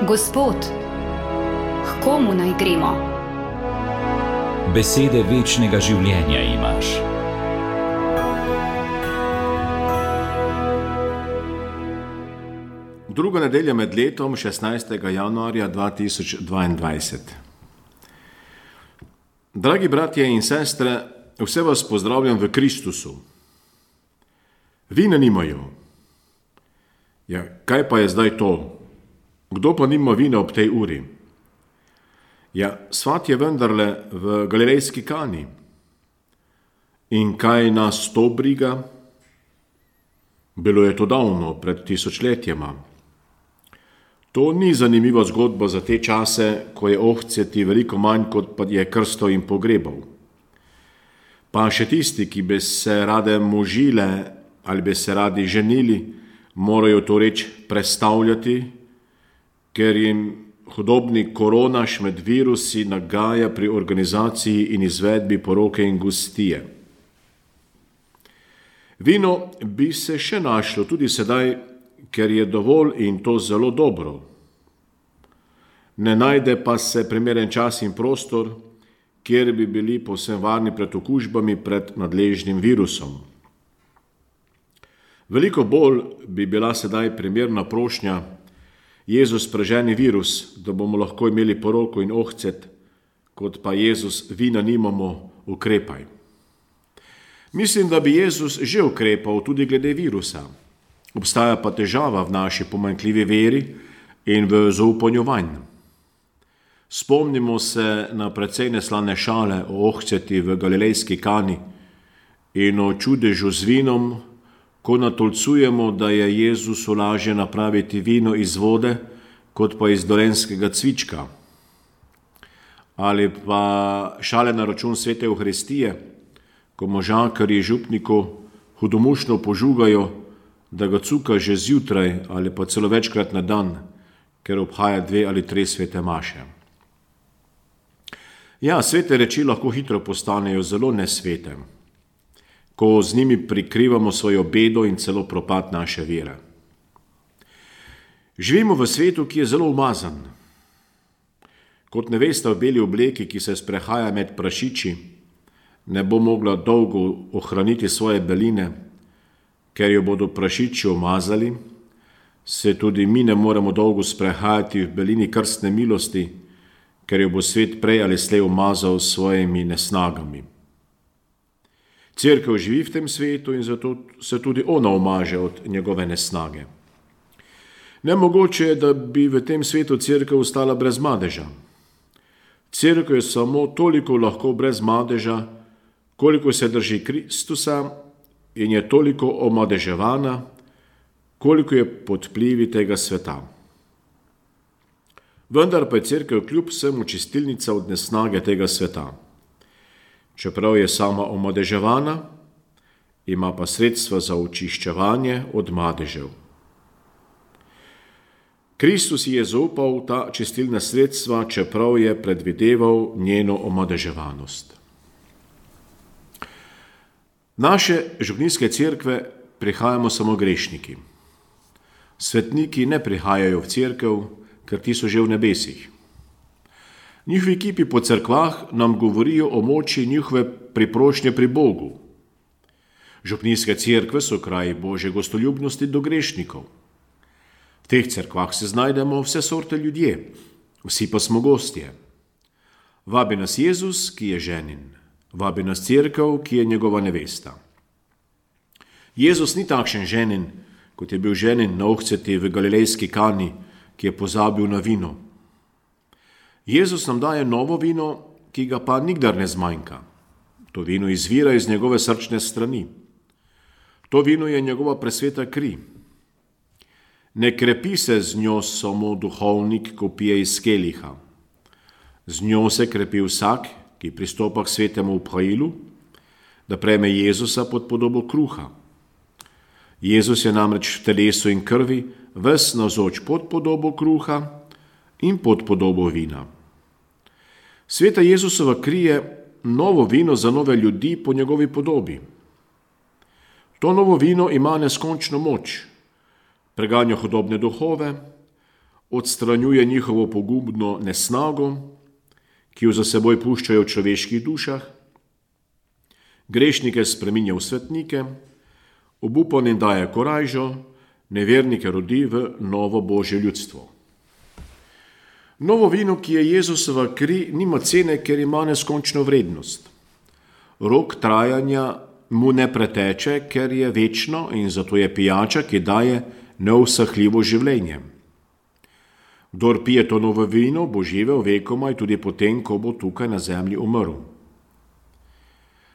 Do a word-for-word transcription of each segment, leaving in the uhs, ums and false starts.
Gospod, k komu naj gremo? Besede večnega življenja imaš. Druga nedelja med letom, šestnajstega januarja dva tisoč dvaindvajset. Dragi bratje in sestre, vse vas pozdravljam v Kristusu. Vina nimajo. Ja, kaj pa je zdaj to? Kdo pa nima vina ob tej uri? Ja, svat je vendarle v galilejski Kani. In kaj nas to briga? Bilo je to davno, pred tisočletjema. To ni zanimiva zgodba za te čase, ko je ohceti veliko manj, kot pa je krstov in pogrebov. Pa še tisti, ki bi se rade možile ali bi se radi ženili, morajo to reč prestavljati, ker jim hudobni koronaš med virusi nagaja pri organizaciji in izvedbi poroke in gostije. Vino bi se še našlo tudi sedaj, ker je dovolj in to zelo dobro. Ne najde pa se primeren čas in prostor, kjer bi bili povsem varni pred okužbami pred nadležnim virusom. Veliko bolj bi bila sedaj primerna prošnja: Jezus, preženi virus, da bomo lahko imeli poroko in ohcet, kot pa Jezus, vina nimamo, ukrepaj. Mislim, da bi Jezus že ukrepal tudi glede virusa. Obstaja pa težava v naši pomanjkljivi veri in v zaupanju vanj. Spomnimo se na precej neslane šale o ohceti v galilejski Kani in o čudežu z vinom, ko natolcujemo, da je Jezusu lažje napraviti vino iz vode, kot pa iz dolenjskega cvička. Ali pa šale na račun svete Evharistije, ko možakarji župniku hudomušno požugajo, da ga cuka že zjutraj ali pa celo večkrat na dan, ker obhaja dve ali tri svete maše. Ja, svete reči lahko hitro postanejo zelo nesvete, ko z njimi prikrivamo svojo bedo in celo propad naše vere. Živimo v svetu, ki je zelo umazan. Kot nevesta v beli obleki, ki se sprehaja med prašiči, ne bo mogla dolgo ohraniti svoje beline, ker jo bodo prašiči omazali, se tudi mi ne moremo dolgo sprehajati v belini krstne milosti, ker jo bo svet prej ali slej omazal s svojimi nesnagami. Cerkev živi v tem svetu in zato se tudi ona omaže od njegove nesnage. Nemogoče je, da bi v tem svetu cerkev ostala brez madeža. Cerkev je samo toliko lahko brez madeža, koliko se drži Kristusa, in je toliko omadeževana, koliko je pod vplivi tega sveta. Vendar pa je cerkev kljub vsemu čistilnica od nesnage tega sveta. Čeprav je sama omadeževana, ima pa sredstva za očiščevanje od madežev. Kristus je zaupal ta čistilna sredstva, čeprav je predvideval njeno omadeževanost. Naše župnijske cerkve prihajamo samo grešniki. Svetniki ne prihajajo v cerkev, ker ti so že v nebesih. Njihovi kipi po cerkvah nam govorijo o moči njihove priprošnje pri Bogu. Župnijske cerkve so kraji Božje gostoljubnosti do grešnikov. V teh cerkvah se znajdemo vse sorte ljudje, vsi pa smo gostje. Vabi nas Jezus, ki je ženin. Vabi nas cerkev, ki je njegova nevesta. Jezus ni takšen ženin, kot je bil ženin na ohceti v galilejski Kani, ki je pozabil na vino. Jezus nam daje novo vino, ki ga pa nikdar ne zmanjka. To vino izvira iz njegove srčne strani. To vino je njegova presveta kri. Ne krepi se z njo samo duhovnik, ko pije iz keliha. Z njo se krepi vsak, ki pristopa k svetemu obhajilu, da prejme Jezusa pod podobo kruha. Jezus je namreč v telesu in krvi ves navzoč pod podobo kruha in pod podobo vina. Sveta Jezusova kri je novo vino za nove ljudi po njegovi podobi. To novo vino ima neskončno moč, preganja hudobne duhove, odstranjuje njihovo pogubno nesnago, ki jo za seboj puščajo v človeških dušah, grešnike spreminja v svetnike, obupanim daje korajžo, nevernike rodi v novo Božje ljudstvo. Novo vino, ki je Jezusova kri, nima cene, ker ima neskončno vrednost. Rok trajanja mu ne preteče, ker je večno in zato je pijača, ki daje neusahljivo življenje. Kdor pije to novo vino, bo živel vekomaj tudi potem, ko bo tukaj na zemlji umrl.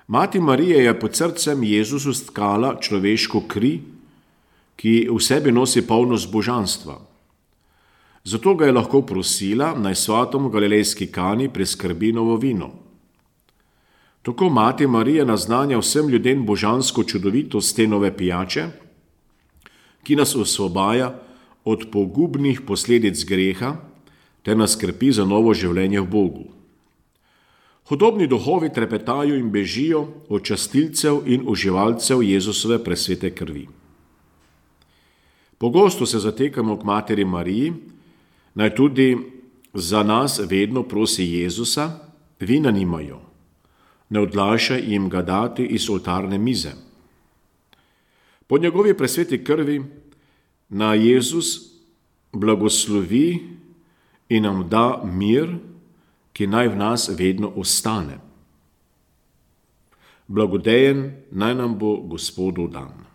Mati Marija je pod srcem Jezusu stkala človeško kri, ki v sebi nosi polnost božanstva. Zato ga je lahko prosila, naj svatom v galilejski Kani priskrbi novo vino. Tako mati Marija naznanja vsem ljudem božansko čudovitost te nove pijače, ki nas osvobaja od pogubnih posledic greha ter nas skrbi za novo življenje v Bogu. Hudobni duhovi trepetajo in bežijo od častilcev in uživalcev Jezusove presvete krvi. Pogosto se zatekamo k materi Mariji, naj tudi za nas vedno prosi Jezusa, vina nimajo, ne odlašaj jim ga dati iz oltarne mize. Po njegovi presveti krvi na Jezus blagoslovi in nam da mir, ki naj v nas vedno ostane. Blagodejen naj nam bo Gospodov dan.